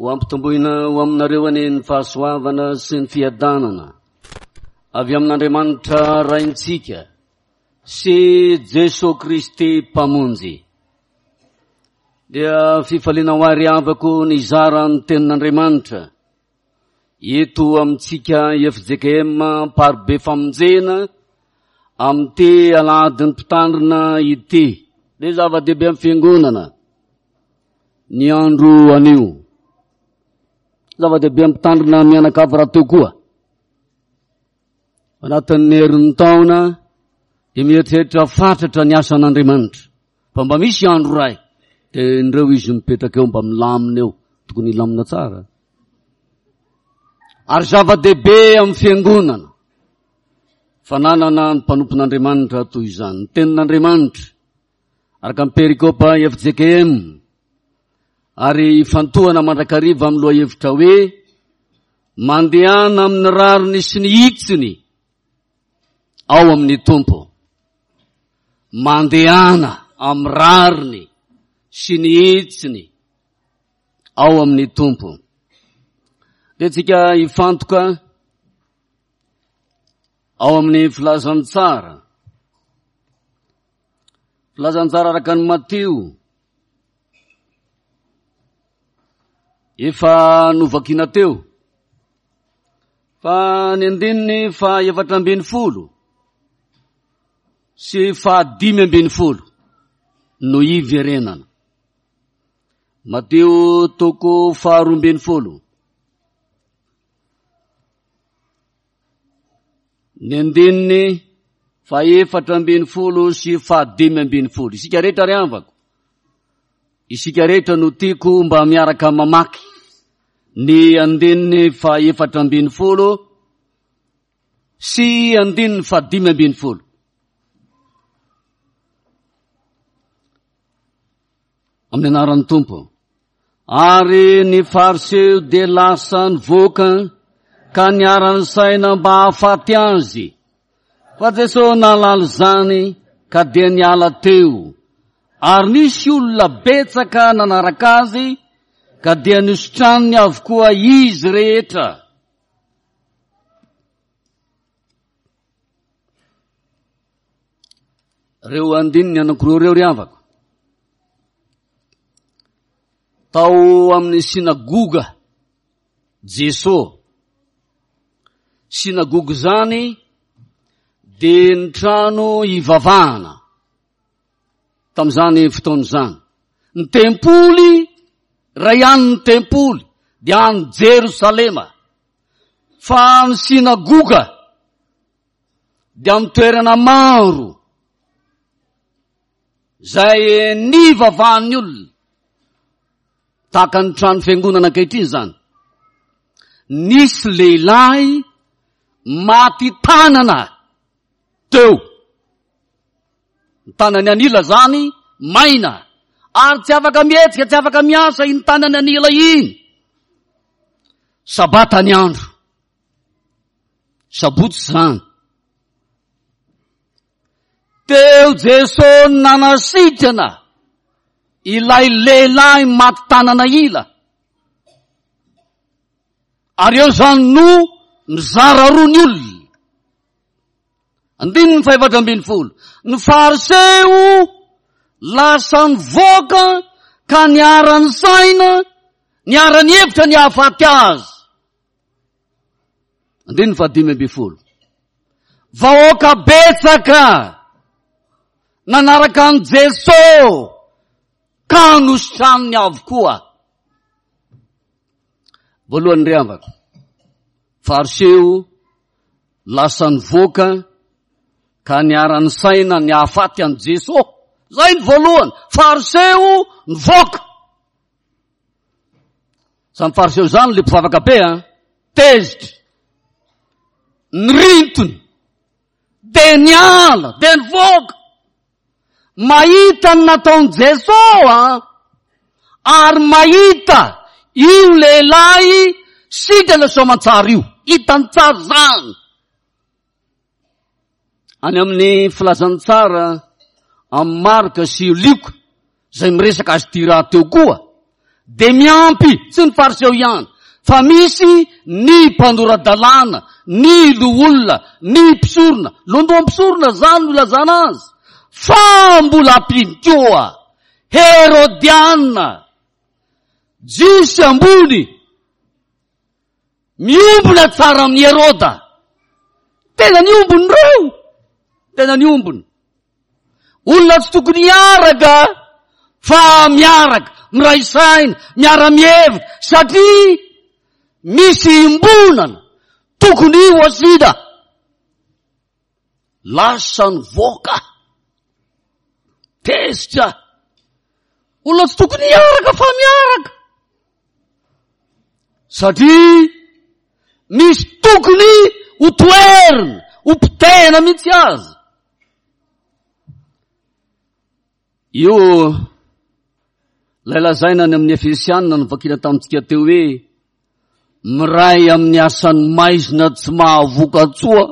Ho ampitomboina ho aminareo anie ny fahasoavana sy ny fiadanana avy amin'Andriamanitra Raintsika sy Jesoa Kristy Mpamonjy. Dia fifaliana ho ahy ry havako ny hizara ny tenin'Andriamanitra eto amintsika FJKM Amparibe Famonjena amin'ity alahadin'ny mpitandrina ity. Dia zava-dehibe amin'ny fiangonana. ny andro anio. Zava-dehibe ampitandrina mianakavy rahateo koa. Anatin'ny herin'ny taona dia mieritreritra fatratra ny asan'Andriamanitra. Fa mba misy andro iray dia indreo izy mipetraka eo mba milamina eo. Tokony hilamina tsara. Ary zava-dehibe amin'ny fiangonana fananana ny mpanompon'Andriamanitra toy izany. Ny tenin'Andriamanitra araka ny perikopa fjkm ary ifantohana mandrakariva amin'ny lohahevitra hoe mandehana amin'ny rariny sy ny hitsiny ao amin'ny Tompo. Mandehana amin'ny rariny sy ny hitsiny ao amin'ny Tompo. Dia tsika hifantoka ao amin'ny filazantsara. Filazantsara araka ny Matio. Efa novakina teo. Fa ny andininy fa 14 sy fa 15 no iverenana. Matio toko faharoa ambin'ny folo. Ny andininy fahefatra ambin'ny folo sy fahadimy ambin'ny folo. Isika rehetra ry havako, isika rehetra no tiako mba miaraka mamaky ny andininy fahefatra ambin'ny folo sy andininy fahadimy ambin'ny folo. Amin'ny anaran'ny Tompo. Ary ny Fariseo dia lasa nivoaka ka niara-nisaina mba hahafaty azy. Fa Jesosy nahalala izany ka dia niala teo. Ary nisy olona betsaka nanaraka azy ka dia nositraniny avokoa izy rehetra. Ireo andininy anankiroa ireo ry havako. Tao amin'ny synagoga Jeso. Synagoga izany dia ny trano hivavahana tamin'izany fotoana izany. Ny tempoly, iray ihany ny tempoly, dia any Jerosalema. Fa ny synagoga dia amin'ny toerana maro izay nivavahan'ny olona tahaka ny trano fiangonana ankehitriny izany. Nisy lehilahy maty tanana teo. Ny tanany an'ila izany maina ary tsy afaka mihetsika, tsy afaka miasa iny tanany an'ila iny. Sabata ny andro. Sabotsy izany. Teo Jesosy nanasitrana ilay lehilahy maty tanana ila. Ary eo izany no mizara roa ny olona. Andininy fahefatra ambin'ny folo. Ny Fariseo lasa nivoaka ka niara-nisaina, niara-nihevitra ny hahafaty azy. Andininy fahadimy ambin'ny folo. Vahoaka betsaka nanaraka an'i Jeso ka nositraniny avokoa. Voalohany ry havako, Fariseo lasa nivoaka ka niara-nisaina ny hahafaty an'i Jeso. Zay ny voalohany, Fariseo nivoaka. Zany fariseo zany le mpivavaka be an, tezitra, nirintony, de niala, de nivoaka. Mahita ny nataon'i Jeso an, ary mahita io lehilahy sitrana soamantsara io. Hitany tsara zany. Any amin'ny filazantsara amin'ny Marka sy Lioka, izay miresaka azy ity rahateo koa, Dia miampy, tsy ny Fariseo ihany, fa misy ny mpanora-dalàna, ny loholona, ny mpisorona, lohandohan'ny mpisorona izany no ilazana azy, fa mbola ampiany koa Herodiana, Jiosy ambony, miombona tsara amin'i Heroda. Tena niombona ireo, tena niombona. Olona tsy tokony hiaraka fa miaraka, miray saina, miara-mihevitra satria misy iombonana tokony ho asiana. Lasa nivoaka. Tezitra. Olona tsy tokony hiaraka fa miaraka. Satria misy tokony ho toherina, ho potehina mihitsy aza. Io ilay lazaina any amin'ny Efesianina novakiana tamintsika teo hoe miray amin'ny asan'ny maizina tsy mahavoka-tsoa.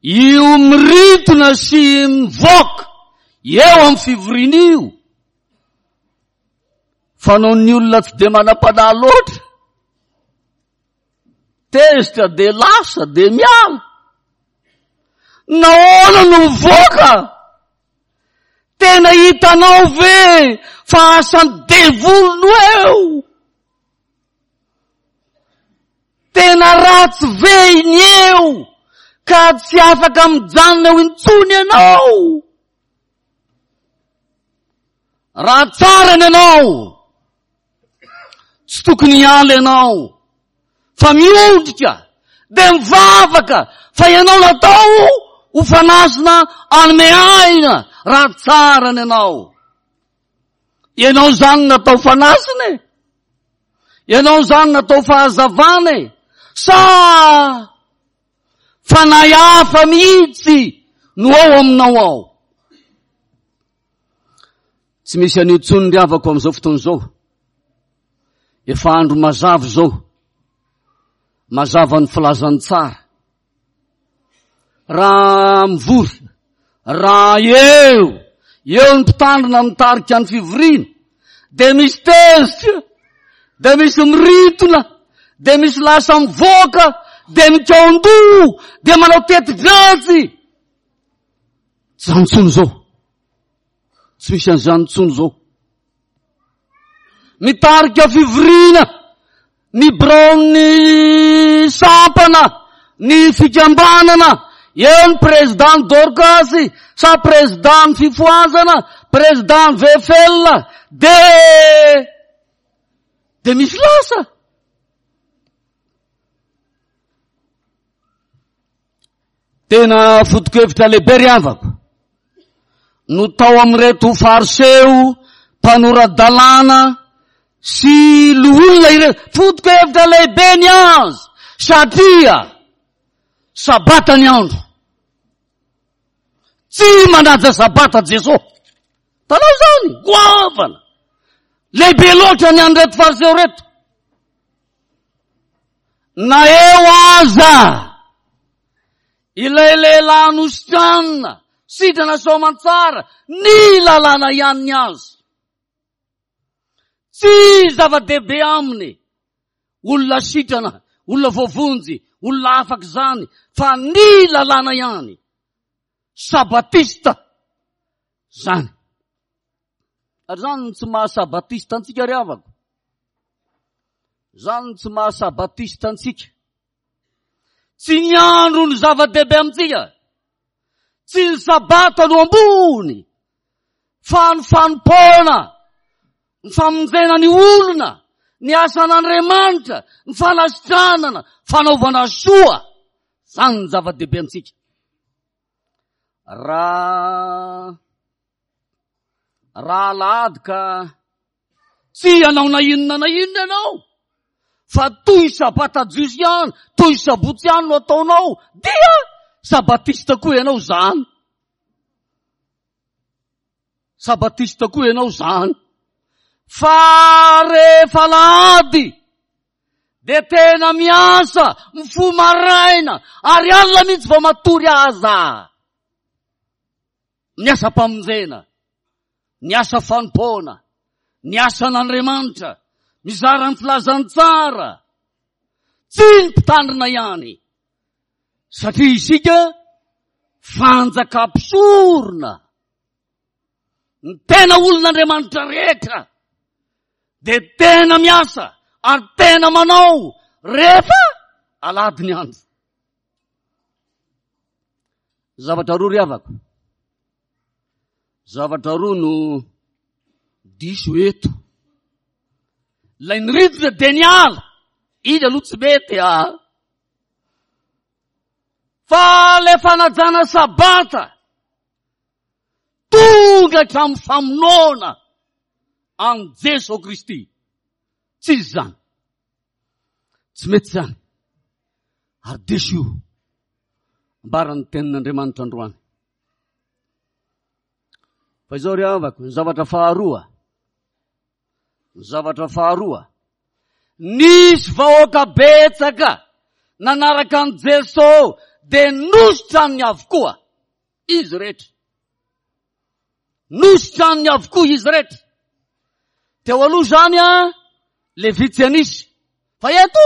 Io mirintona sy mivoaka eo amin'ny fivoriana io. Fanaon'ny olona tsy dia manam-panahy loatra. Tezitra dia lasa dia miala. Nahoana no mivoaka? Tena hitanao ve fa asan'ny devoly no eo? Tena ratsy ve iny eo ka tsy afaka mijanona eo intsony ianao? Raha tsara ny anao, tsy tokony hiala ianao fa miondrika dia mivavaka fa ianao natao ho fanasina anome aina raha tsara ny anao. Ianao izany natao fanasina e. Ianao izany natao fahazavana e. Sa fanahy hafa mihitsy no ao aminao ao. Tsy misy an'io intsony ry havako amin'izao fotoana izao. Efa andro mazava izao. Mazava ny filazantsara. Raha mivory, raha eo, eo ny mpitandrina mitarika ny fivoriana, dia misy tezitra, dia misy mirintona, dia misy lasa mivoaka, dia mikaon-doha, dia manao teti-dratsy. Tsy izany intsony izao. Tsy misy an'izany intsony izao. Mitarika fivoriana ny biraon'ny sampana, ny fikambanana, eo ny président Dorcas sa président fifohazana, président VFL, de de misy lasa. Tena foto-kevitra lehibe ry havako no tao amin'ireto fariseo mpanora-dalàna sy loholona ireto. Foto-kevitra lehibe ny azy satria sabata ny andro. Tsy manaja sabata Jesosy. Tanao izany, goavana. Lehibe loatra ny an'ireto fariseo ireto. Na eo aza ilay lehilahy nositranina, sitrana soamantsara, ny lalàna ihany ny azy. Tsy zava-dehibe aminy olona sitrana, olona voavonjy, olona afaka izany, fa ny lalàna ihany. Sabatista zany. Ary zany no tsy maha sabatista antsika ry havako. Zany no tsy maha sabatista antsika. Tsy ny andro no zava-dehibe amintsika. Tsy ny sabata no ambony. Fa ny fanompoana, ny famonjena ny olona, ny asan'Andriamanitra, ny fanasitranana, fanaovana soa. Zany ny zava-dehibe amintsika. Raha raha alahady ka tsy hanao na inona na inona ianao fa toy sabata jiosy ihany, toy sabotsy ihany no ataonao dia sabatista koa ianao zany. Sabatista koa ianao zany. Fa rehefa alahady dia tena miasa, mifoha maraina ary alina mihitsy vao matory aza. Ny asam-pamonjena. Ny asa fanompoana, ny asan'Andriamanitra, mizara ny filazantsara. Tsy ny mpitandrina ihany, satria isika fanjakam-pisorona. Ny tena olon'Andriamanitra rehetra dia tena miasa ary tena manao rehefa alahady ny andro. Zavatra roa ry havako. Zavatra roa no diso eto. Ilay niridrina dia niala. Iny aloha tsy mety ah. Fa ilay fanajana sabata tonga hatramin'ny famonoana an'i Jeso Kristy. Tsy izy izany. Tsy mety izany. Ary diso io. Ambaran'ny tenin'Andriamanitra androany. Fa izao ry havako, ny zavatra faharoa, ny zavatra faharoa, nisy vahoaka betsaka nanaraka an'i Jeso dia nositraniny avokoa izy rehetra. Nositraniny avokoa izy rehetra. Teo aloha izany an, le vitsy an'isa. Fa eto,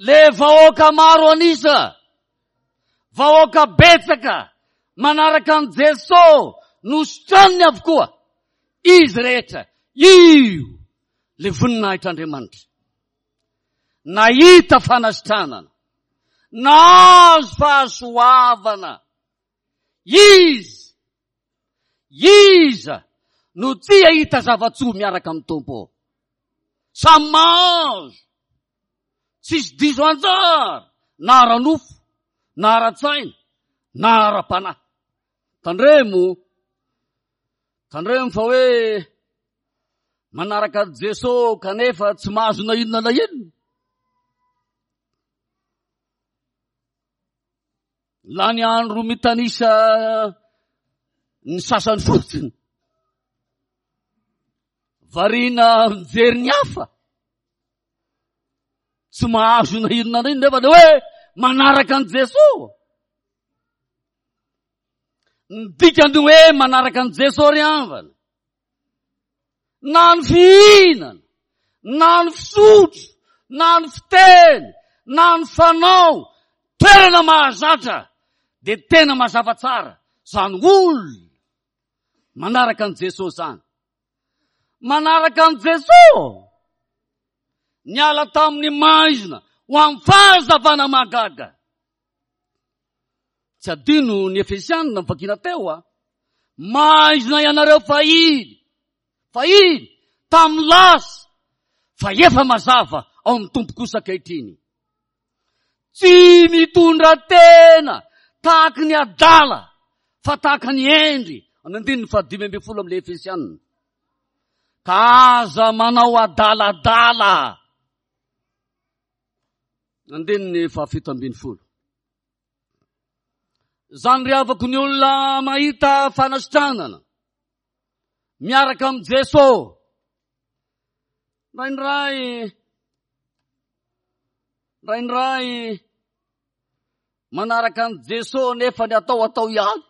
le vahoaka maro an'isa. Vahoaka betsaka manaraka an'i Jeso nositraniny avokoa izy rehetra. Io le voninahitr'Andriamanitra. Nahita fanasitranana, nahazo fahasoavana izy. Iza no tsy hahita zava-tsoa miaraka amin'ny Tompo? Samy mahazo. Tsisy diso anjara na ara-nofo, na ara-tsaina, na ara-panahy. Tandremo, tandremo fa hoe manaraka an'i Jeso kanefa tsy mahazo na inona na inona. Lany andro mitanisa ny sasany fotsiny. Variana mijery ny hafa. Tsy mahazo na inona na inona nefa le hoe manaraka an'i Jesoa. Ny dikany hoe manaraka an'i Jesoa ry havana. Na ny fihinana, na ny fisotro, na ny fiteny, na ny fanao, toerana mahazatra dia tena mazava tsara zany olona manaraka an'i Jesoa zany. Manaraka an'i Jesoa niala tamin'ny maizina ho amin'ny fahazavana mahagaga. Tsy adino ny Efesianina novakiana teo a. Maizina ianareo fahiny, fahiny, tamin'ny lasa, fa efa mazava ao amin'ny Tompo kosa ankehitriny. Tsy mitondra tena tahaky ny adala fa tahaka ny hendry. Amin'ny andininy fahadimy ambin'ny folo amin'ilay Efesianina. Ka aza manao adaladala. Andininy fahafito ambin'ny folo. Zany ry havako ny olona mahita fanasitranana miaraka amin'i Jeso. Indraindray indraindray manaraka an'i Jeso nefa ny atao atao ihany.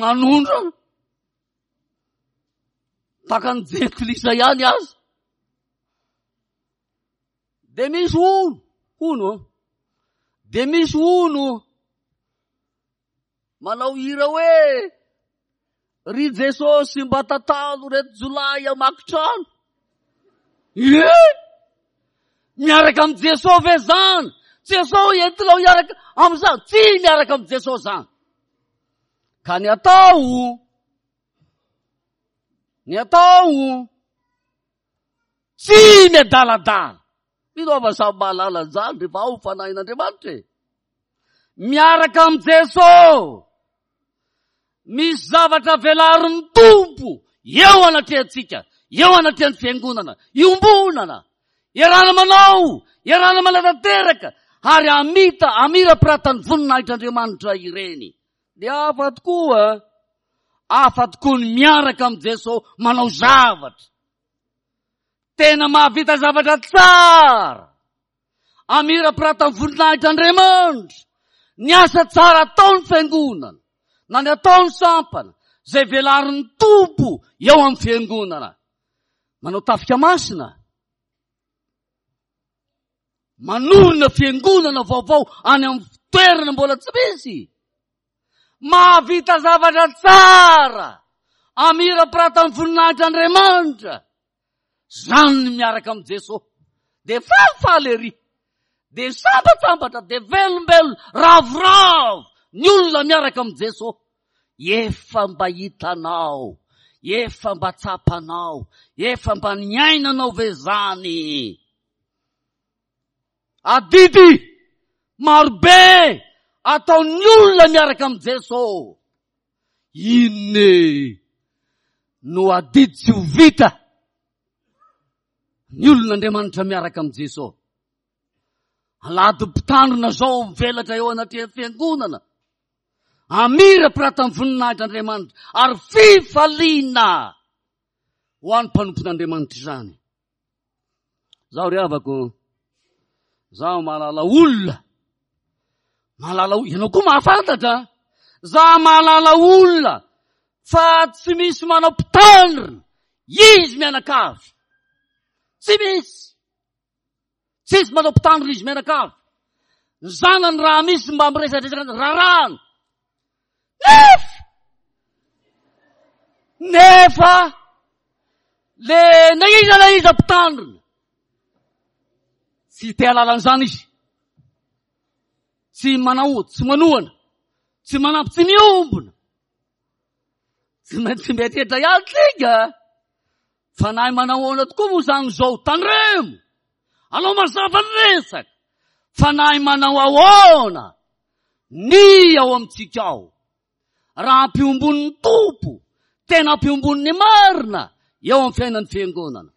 Manondrana. Tahaka ny jentilisa ihany aza. Dia misy hono, hono, dia misy hono manao hira hoe ry Jesosy mba tantano reto jolahy hamaky trano. Ie! Miaraka amin'i Jesosy ve zany? Jesosy entinao hiaraka amin'izany? Tsy miaraka amin'i Jesosy zany. Ka ny atao, ny atao, tsy miadaladala. Mino aho fa samy mahalala an'izany rehefa ao ny fanahin'Andriamanitra e. Miaraka amin'i Jesosy. Misy zavatra velarin'ny Tompo eo anatrehantsika, eo anatrehan'ny fiangonana, iombonana, iarahana manao, iarahana manatanteraka, ary hamita, hamirapiratan'ny voninahitr'Andriamanitra ireny. Dia hafa tokoa, hafa tokoa ny miaraka amin'i Jesosy manao zavatra. Tena mahavita zavatra tsara. Amirapiratan'ny voninahitr'Andriamanitra. Ny asa tsara ataon'ny fiangonana, na ny ataon'ny sampana, Izay velarin'ny Tompo eo amin'ny fiangonana. Manao tafika masina. Manorina fiangonana vaovao any amin'ny toerana mbola tsy misy. Mahavita zavatra tsara amirapiratan'ny voninahitr'Andriamanitra. Zany ny miaraka amin'i Jesosy. Dia falifaly ery. Dia sambatsambatra, dia velombelona, ravoravo ny olona miaraka amin'i Jesosy. Efa mba hitanao, efa mba tsapanao, efa mba niainanao ve zany? Adidy marobe ataon'ny olona miaraka amin'i Jesosy. Inona e no adidy tsy ho vita ny olon'Andriamanitra miaraka amin'i Jesosy? Alahady mpitandrina zao mivelatra eo anatrehan'ny fiangonana. Amirapiratan'ny voninahitr'Andriamanitra ary fifaliana ho an'ny mpanompon'Andriamanitra izany. Zaho ry havako, zaho mahalala olona, mahalala olona, ianao koa mahafantatra, zaho mahalala olona fa tsy misy manao mpitandrina, izy mianakavy, tsy misy, tsisy manao mpitandrina izy mianakavy, ny zanany raha misy mba miresadresaka rarahana, nefa, nefa, Le na iza na iza mpitandrina tsy te halala an'izany izy. Tsy manao, tsy manohana, tsy manampy, tsy miombona. Tsy maintsy mieritreritra ihany tsika. Fanahy manao ahoana tokoa moa izany izao? Tandremo! Alao mazava ny resaka. Fanahy manao ahoana ny ao amintsika ao? raha ampiombon'ny Tompo, tena ampiombon'ny marina eo amin'ny fiainan'ny fiangonana.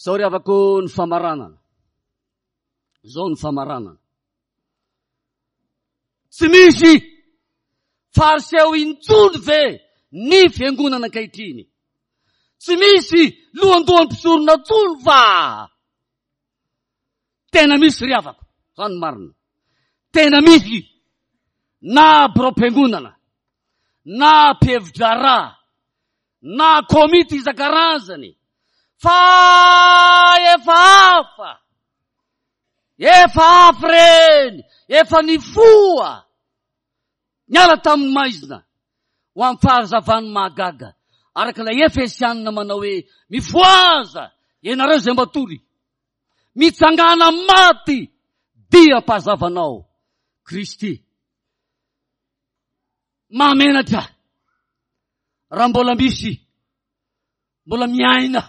Zao ry havako ny famaranana. Zao ny famaranana. Tsy misy fariseo intsony ve ny fiangonana ankehitriny? Tsy misy lohandohan'ny mpisorona intsony va? Tena misy ry havako, zany ny marina. Tena misy na biraom-piangonana, na mpihevi-draharaha, na komity isan-karazany, fa efa hafa, efa hafa ireny, efa nifoha, niala tamin'ny maizina ho amin'ny fahazavan'ny mahagaga, araka ilay Efesianina manao hoe, Mifohaza, ianareo izay matory, Mitsangàna amin'ny maty dia mpazavanao Kristy. Mahamenatra raha mbola misy mbola miaina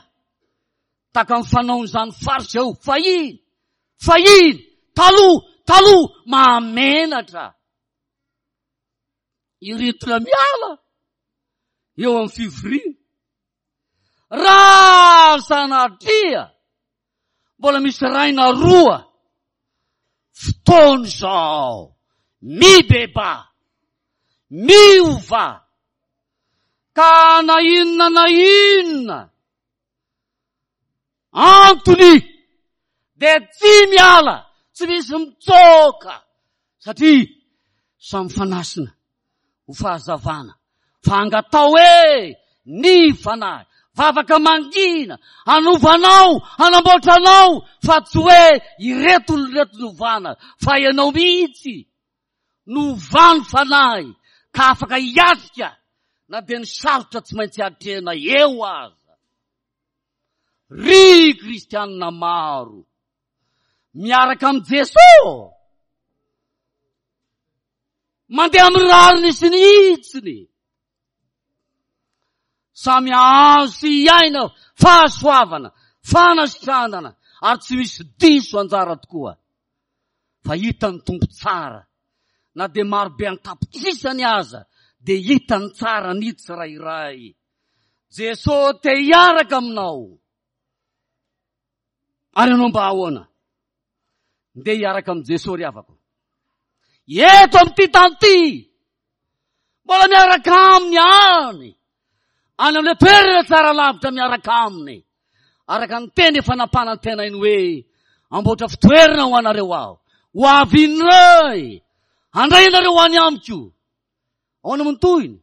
tahaka ny fanaon'izany faritra eo fahiny fahiny taloha taloha mahamenatra iretina miala eo amin'ny fivoriana Raha sanatria mbola misy iray na roa fotoana izao mibebaha, miova, ka na inona na inona antony dia tsy miala, tsy misy mitsoaka satria samy fanasina ho fahazavana fa angatao hoe ny fanahy vavaka mangina hanova anao hanamboatra anao fa tsy hoe ireto olona ireto novana fa ianao mihitsy novany fanahy ka afaka hiatrika na dia ny sarotra tsy maintsy atrehina eo aza ry kristianina maro miaraka amin'i Jesosy Mandeha amin'ny rariny sy ny hitsiny. Samy hahazo sy hiaina fahasoavana, fanasitranana ary tsy misy diso anjara tokoa. Fa hitan'ny Tompo tsara na dia marobe an-tapitrisany aza dia hitany tsara ny tsirairay. Jesosy te hiaraka aminao. Ary ianao mba ahoana? Ndeha hiaraka amin'i Jesoa ry havako. Eto amin'ity tany ity, mbola miaraka aminy any, any amin'ilay toerana tsara lavitra miaraka aminy. Araka ny teny efa nampanantenainy hoe, amboatra fitoerana ho anareo aho, ho avy indray, handray anareo any amiko. Ahoana moa ny tohiny?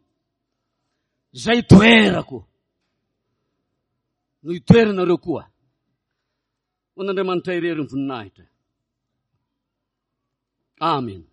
Izay itoerako no itoeranareo koa. Ho an'Andriamanitra irery ny voninahitra. Amen.